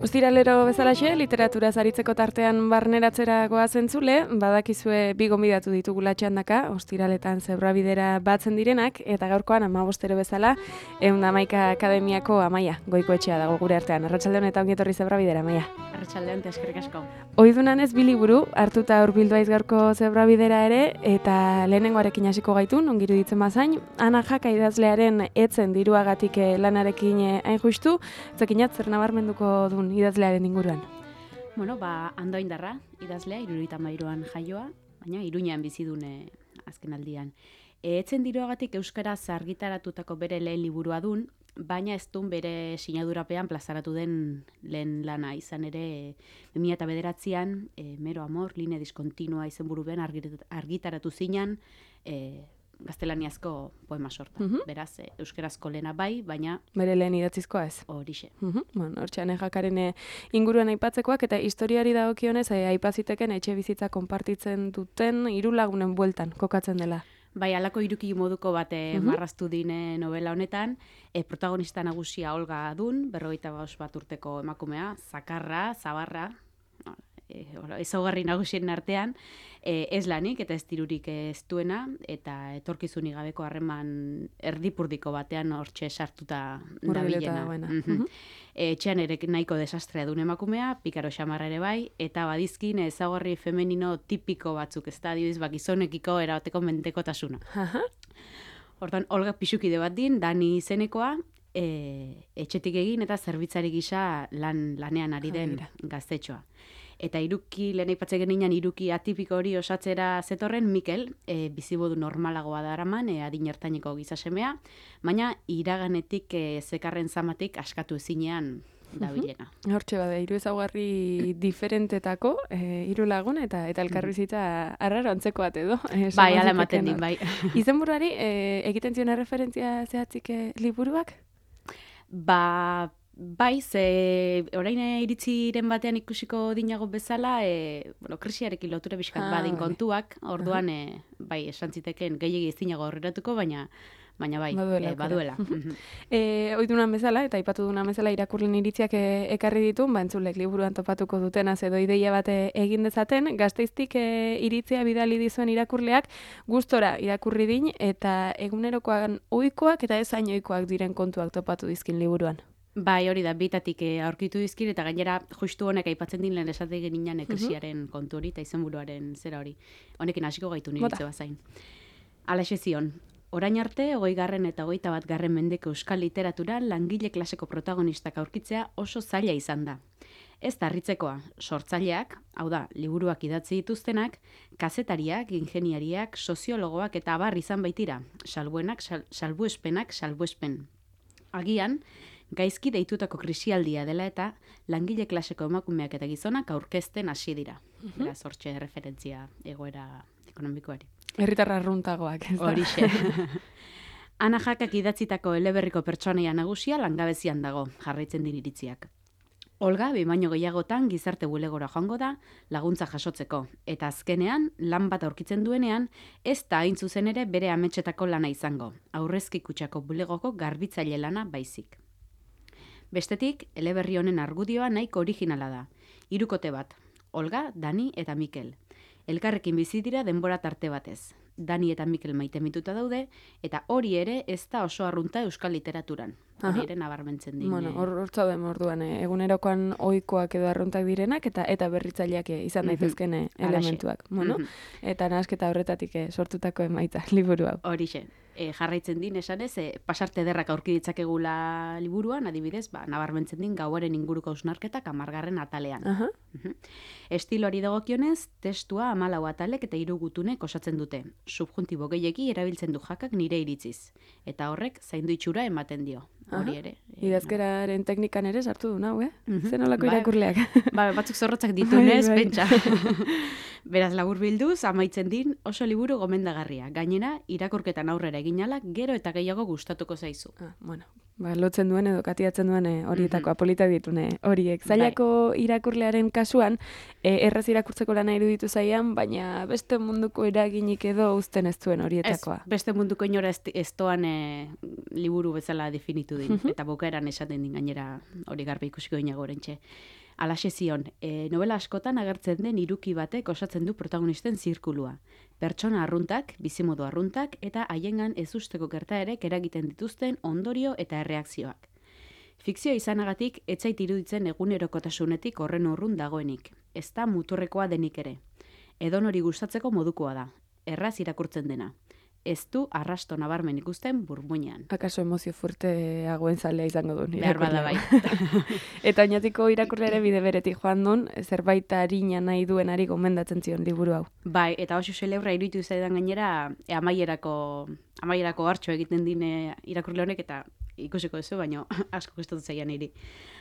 Ostiralero bezalaxe, literatura zaritzeko tartean barneratzera goazentzule, badakizue bi gonbidatu ditugula txandaka, ostiraletan zebrabidera batzen direnak, eta gaurkoan 15 bezala, 111 Akademiako Amaia, Goikoetxea dago gure artean. Arratsaldeon eta ongi etorri zebrabidera, Amaia. Arratsaldeon, eskerrik asko. Ohidunan ez bi liburu hartuta hurbilduaiz gaurko zebrabidera ere, eta lehenengoarekin hasiko gaitun, ongi iruditzen bazain, Ana Jaka idazlearen etzen diruagatik lanarekin hain justu, zekinat zer nabarmenduko dun idazlearen inguruan. Bueno, Andoaindarra idazlea, 73an jaioa, baina Iruñean bizidun azken aldian. Etzen diruagatik euskaraz argitaratutako bere lehen liburua dun, baina ez dun bere sinadurapean plazaratu den lehen lana. Izan ere, 2009an, Mero Amor, line diskontinua izenburupean argitaratu zinan, gaztelaniazko poema sorta. Beraz, euskarazko lehena bai, baina... Bere lehen idatzizkoa ez. Horixe. Bueno, hortxean Jakaren inguruan aipatzekoak, eta historiari dagokionez aipaziteken etxe bizitza konpartitzen duten 3 lagunen bueltan kokatzen dela. Bai, alako iruki moduko bat marraztu dine novela honetan, protagonista nagusia Olga dun, 51 urteko emakumea, zakarra, zabarra, ezaugarri nagusien artean, ez lanik eta ez dirurik ez duena, eta etorkizunik gabeko harreman erdipurdiko batean hortxe sartuta dabilena. Etxean ere nahiko desastrea duen emakumea, pikaro xamarra ere bai, eta badizkin ezaugarri femenino tipiko batzuk, ez da, adibidez, gizonekiko erabateko mendekotasuna. Hortan, Olga pixukide bat din, Dani izenekoa, etxetik egin eta zerbitzari gisa lanean ari den gaztetxoa. Eta iruki, lehen aipatzen geninan, iruki atipiko hori osatzera zetorren Mikel, bizibodu normalagoa daraman, adin ertaineko gizasemea, baina iraganetik zekarren zamatik askatu ezinean dabilena. Hortxe bada, 3 ezaugarri diferentetako, 3 lagun eta elkarbizitza arraro antzeko bat edo. Bai, ala ematen din, bai. Izenburuari, egiten zion referentzia zehatzik liburuak? Bai, ze orain iritziren batean ikusiko dinago bezala, krisiarekin lotura bizkat badin kontuak, orduan, bai, esan ziteken gehiegi ezinago aurreratuko, baina bai, baduela. Oidunan bezala, eta aipatu dunan bezala irakurlen iritziak ekarri ditu, entzulek liburuan topatuko dutenaz edo ideia bat egin dezaten, Gasteiztik iritzia bidali dizuen irakurleak gustora irakurri din, eta egunerokoan ohikoak eta ez hain ohikoak diren kontuak topatu dizkin liburuan. Bai, hori da, bitatik aurkitu dizkir, eta gainera justu honek aipatzen din lehen esate geninan krisiaren kontu hori, eta izenburuaren zera hori. Honekin hasiko gaitu niritze bazain. Alaxe zion, orain arte, 20. eta 21. mendeko euskal literaturan langile klaseko protagonistak aurkitzea oso zaila izan da. Ez da harritzekoa, sortzaileak, hau da, liburuak idatzi dituztenak, kazetariak, ingeniariak, soziologoak eta abar izan baitira, salbuenak, salbuespen. Agian, gaizki deitutako krisialdia dela eta langile klaseko emakumeak eta gizonak aurkezten hasi dira. Beraz, hortxe referentzia egoera ekonomikoari. Herritarra arruntagoak, ez da? Horixe. Ana Jakak idatzitako eleberriko pertsonaia nagusia langabezian dago, jarraitzen din iritziak. Olga, baino gehiagotan gizarte bulegora joango da laguntza jasotzeko, eta azkenean, lan bat aurkitzen duenean, ez da hain zuzen ere bere ametsetako lana izango, aurrezki kutxako bulegoko garbitzaile lana baizik. Bestetik, eleberri honen argudioa nahiko originala da. 3 kote bat, Olga, Dani eta Mikel. Elkarrekin bizi dira denbora tarte batez. Dani eta Mikel maitemituta daude, eta hori ere ez da oso arrunta euskal literaturan. Hori ere nabarmentzen din. Bueno, hor zauden orduan, egunerokoan ohikoak edo arruntak direnak, eta berritzaileak izan daitezken elementuak. Bueno, eta nahasketa horretatik sortutako emaitza liburu hau. Horixe. Jarraitzen din, esanez, pasarte ederrak aurki ditzakegula liburuan, adibidez, nabarmentzen din gauaren inguruko hausnarketak 10. atalean. Estiloari dagokionez, testua 14 atalek eta 3 gutunek osatzen dute. Subjuntibo gehiegi erabiltzen du Jakak nire iritziz. Eta horrek zaindu itxura ematen dio. hori ere. Idazkeraren teknikan ere sartu du nau, Zen olako irakurleak. Batzuk zorrotzak ditunez, pentsa. Beraz, laburbilduz, amaitzen din oso liburu gomendagarria. Gainera, irakurketan aurrera eginala, gero eta gehiago gustatuko zaizu. Lotzen duen edo katiatzen duen horietako apolita ditune horiek. Zailako irakurlearen kasuan, erraz irakurtzeko lana iruditu zaian, baina beste munduko eraginik edo uzten ez duen horietakoa. Beste munduko inora ez doan liburu bezala definitu din, eta bukaeran esaten din gainera hori garbi ikusiko inago orentxe. Alaxe zion, novela askotan agertzen den hiruki batek osatzen du protagonisten zirkulua. Pertsona arruntak, bizimodu arruntak, eta haiengan ez usteko gertaerek eragiten dituzten ondorio eta erreakzioak. Fikzioa izanagatik, etzait iruditzen egunerokotasunetik horren urrun dagoenik. Ez da muturrekoa denik ere. Edonori gustatzeko modukoa da. Erraz irakurtzen dena. Ez du arrasto nabarmen ikusten burmuinean. Akaso emozio fuerteagoen zalea izango duen. Behar bada bai. Eta oinatiko irakurleare bide beretik joan duen, zerbait harina nahi duenari gomendatzen zion liburu hau. Bai, eta oso xelebra iruditu zaidan gainera, amaierako hartxo egiten dine irakurle honek, eta ikusiko duzu, baina asko gustatu zaian niri.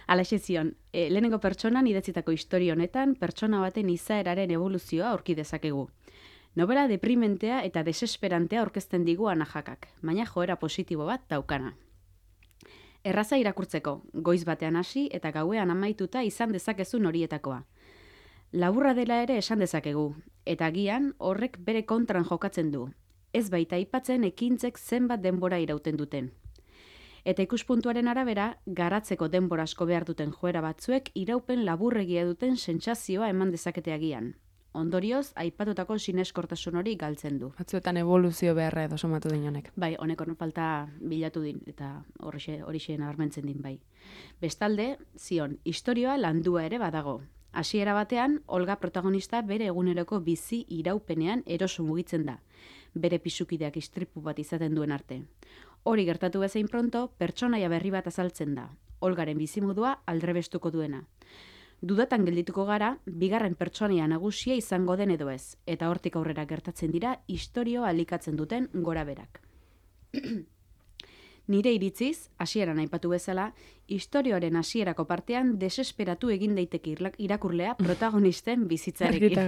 Alaxe zion, lehenengo pertsonan idatzitako historia honetan, pertsona baten izaeraren evoluzioa aurki dezakegu. Novela deprimentea eta desesperantea aurkezten digu anajakak, baina joera positibo bat daukana. Erraza irakurtzeko, goiz batean hasi eta gauean amaituta izan dezakezun horietakoa. Laburra dela ere esan dezakegu, eta agian horrek bere kontran jokatzen du. Ez baita aipatzen ekintzek zenbat denbora irauten duten. Eta ikuspuntuaren arabera, garatzeko denbora asko behar duten joera batzuek iraupen laburregia duten sentsazioa eman dezakete agian. Ondorioz, aipatutako sineskortasun hori galtzen du. Batzuetan evoluzio beharra edo somatu din honek. Bai, honek falta bilatu din, eta horixe nabarmentzen din bai. Bestalde, zion, istorioa landua ere badago. Hasiera batean, Olga protagonista bere eguneroko bizi iraupenean eroso mugitzen da. Bere pisukideak istripu bat izaten duen arte. Hori gertatu bezain pronto, pertsonaia berri bat azaltzen da. Olgaren bizimodua aldrebestuko duena. Dudatan geldituko gara, bigarren pertsonaia nagusia izango den edo ez, eta hortik aurrera gertatzen dira istorioa alikatzen duten gora berak. Nire iritziz, hasieran aipatu bezala, istorioaren hasierako partean desesperatu egin daiteke irakurlea protagonisten bizitzarekin.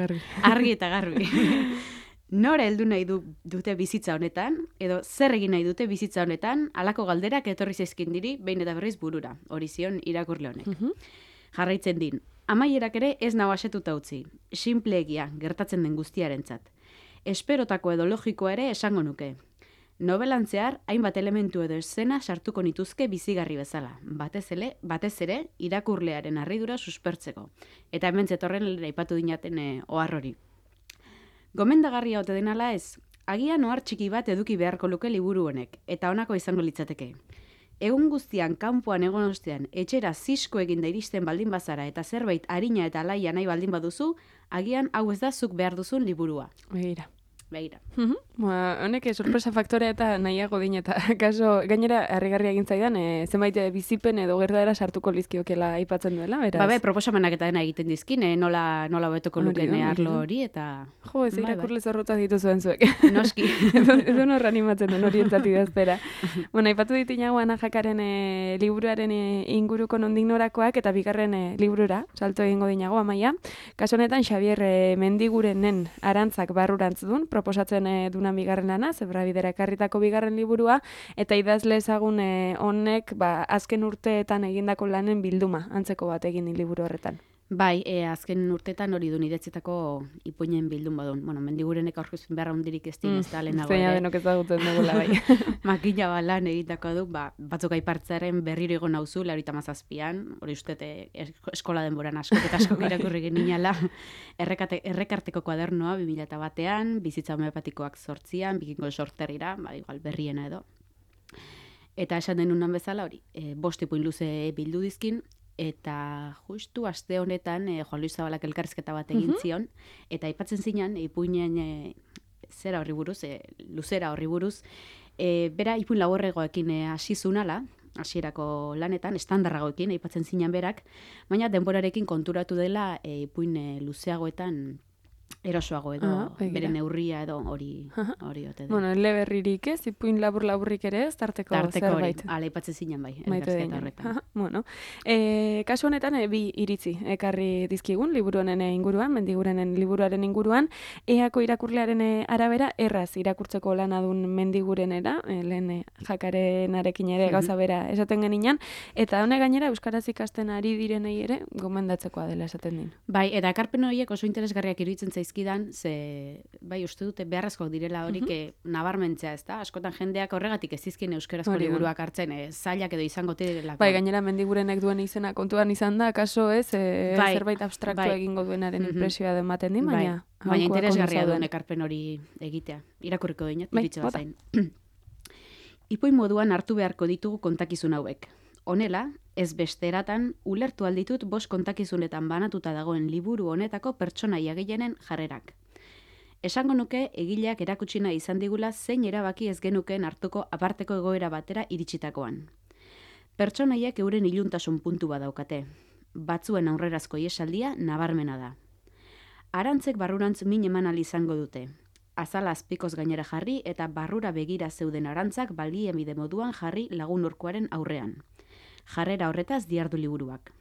Argi eta garbi. Nora heldu nahi dute bizitza honetan, edo zer egin nahi dute bizitza honetan, halako galderak etorri zaizkin diri, behin eta berriz burura, hori zion irakurle honek. Jarraitzen din, amaierak ere ez nau asetuta utzi, sinpleegia gertatzen den guztiarentzat. Esperotako edo logikoa ere esango nuke. Novelan zehar, hainbat elementu edo eszena sartuko nituzke bizigarri bezala, batez ere irakurlearen harridura suspertzeko. Eta hemen zetorren aipatu dinaten ohar hori. Gomendagarria ote denala ez, agian ohar txiki bat eduki beharko luke liburu honek, eta honako izango litzateke. Egun guztian kanpoan egon ostean etxera zisko eginda iristen baldin bazara eta zerbait arina eta alaia nahi baldin baduzu, agian hau ez da zuk behar duzun liburua. Begira. Honek sorpresa faktorea eta nahiago din eta kaso gainera harrigarria egin zaidan zenbait bizipen edo gertaera sartuko lizkiokela aipatzen duela, beraz. Proposamenak eta dena egiten dizkin, nola hobetuko lukeen arlo hori eta... Jo, ez irakurle zorrotza dituzuen zuek. Noski. Edo norra animatzen den horientzat idaztera. Aipatu ditinago anajakaren liburuaren inguruko nondik norakoak eta bigarren liburura, salto egingo dinago amaia. Kaso honetan Xabier Mendigurenen Arantzak barrurantz dun, proposatzen dunan bigarren lana, Zebrabidera ekarritako bigarren liburua, eta idazle ezagun honek azken urteetan egindako lanen bilduma, antzeko bat egin liburu horretan. Bai, azken urteetan hori dun idatzitako ipuinen bildun badun. Mendigurenek aurkezpen beharra hundirik ez din ez da lehenago. Zeina denok ezagutzen dugula bai. Makina lan egitako du, batzuk aipartzearen berriro egon nauzu, 97an, hori ustete eskola denboran asko irakurri geninala, errekarteko kuadernoa 2001an, bizitza homeopatikoak 8an, bikingo sorterrira, igual berriena edo. Eta esan denunan bezala hori, 5 ipuin luze bildu dizkin, eta justu aste honetan Juan Luis Zabalak elkarrizketa bat egin zion, eta aipatzen zinan, ipuinen zera horri buruz, luzera horri buruz, bera ipuin laborregoekin hasi zunala, hasierako lanetan, estandarragoekin, aipatzen zinan berak, baina denborarekin konturatu dela ipuin luzeagoetan erosoago edo, bere neurria edo hori ote da. Bueno, eleberririk ez, ipuin labur-laburrik ere ez, tarteko zerbait. Ala ipatzen zinen bai, elkarrizketa horretan. Bueno, kasu honetan bi iritzi ekarri dizkigun, liburu honen inguruan, Mendigurenen liburuaren inguruan, eako irakurlearen arabera, erraz irakurtzeko lanadun Mendigurenera, lehen jakarenarekin ere gauza bera esaten geninan, eta hone gainera Euskaraz ikasten ari direnei ere, gomendatzekoa dela esaten din. Bai, eta ekarpen horiek oso interesgarriak iruditzen zaizkidan, ze, bai, uste dute beharrezkoak direla horik nabarmentzea, ez da? Askotan jendeak horregatik ez dizkien euskarazko liburuak hartzen, zailak edo izango direlako. Bai, gainera Mendigurenek duen izena kontuan izan da, kaso ez, zerbait abstraktu egingo duenaren impresioa ematen din, baina... Baina interesgarria duen ekarpen hori egitea. Irakurriko dinat, bitxo bat zain. Ipuin moduan hartu beharko ditugu kontakizun hauek. Honela, ez beste eratan, ulertu alditut 5 kontakizunetan banatuta dagoen liburu honetako pertsonaia gehienen jarrerak. Esango nuke egileak erakutsina izan digula zein erabaki ez genukeen hartuko aparteko egoera batera iritsitakoan. Pertsonaiak euren iluntasun puntu badaukate. Batzuen aurrerazko iesaldia nabarmena da. Arantzek barrurantz min eman ahal izango dute. Azala azpikoz gainera jarri eta barrura begira zeuden arantzak baliabide moduan jarri lagun urkoaren aurrean. Jarrera horretaz diardu liburuak.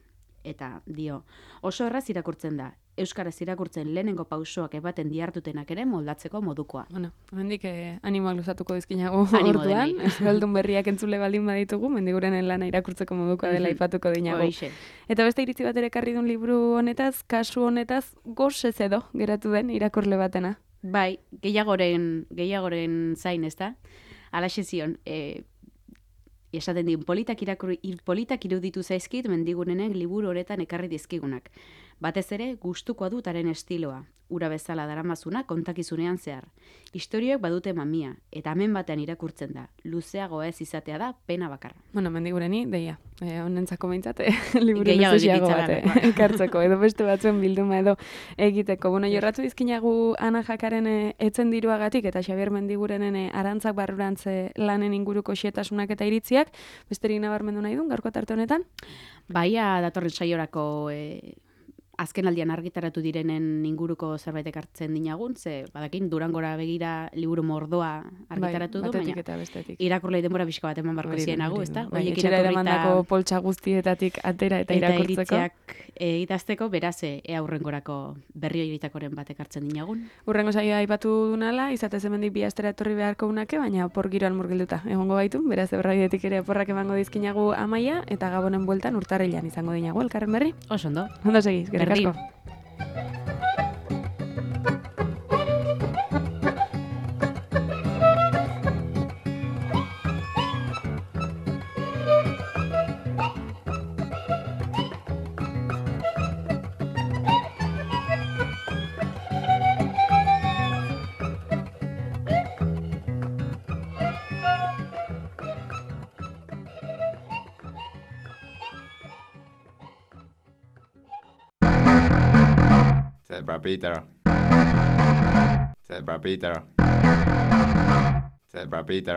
Eta, dio, oso erraz irakurtzen da. Euskaraz irakurtzen lehenengo pausoak ebaten diartutenak ere moldatzeko modukoa. Bueno, hendik animoak luzatuko dizkinago orduan. Euskaldun berriak entzule baldin baditugu, Mendigurenen lana irakurtzeko modukoa dela aipatuko dinago. Eta beste iritzi bat ere ekarri duen liburu honetaz, kasu honetaz, gozez edo geratu den irakurle batena. Bai, gehiagoren zain, ez da? Alaxe zion, esaten din, politak iruditu zaizkit Mendigurenek liburu honetan ekarri dizkigunak. Batez ere, gustukoa dutaren estiloa, ura bezala daramazuna kontakizunean zehar. Historioek badute mamia, eta hemen batean irakurtzen da. Luzeago ez izatea da, pena bakarra. Bueno, Mendigureni, deia, honentzako behintzat, liburu luzeago bat ekartzeko, edo beste batzuen bilduma edo egiteko. Bueno, jorratu dizkinagu Ana Jakaren etzen diruagatik, eta Xabier Mendigurenen arantzak barrurantze lanen inguruko xetasunak eta iritziak, besterik nabarmendu nahi duen, gaurko tarte honetan? Baia datorren saiorako azken aldian argitaratu direnen inguruko zerbait ekartzen dinagun, ze badakin Durangora begira liburu mordoa argitaratu du, baina irakurlei denbora pixka bat eman barko zienagu, ez da? Etxera eramandako poltsa guztietatik atera eta irakurtzeko. Eta iritziak idazteko, beraz, aurrengorako berrio iritakoren bat ekartzen dinagun. Urrengo saioa aipatu dunala, izatez hemendik bi astera etorri beharko unake, baina opor giroan murgilduta egongo gaitu, beraz ebraidetik ere oporrak emango dizkinagu Amaia, eta Gabonen bueltan urtarrilan izango dinagu elkarren berri. Oso ondo. Ondo segiz, asko. Zebra Peter.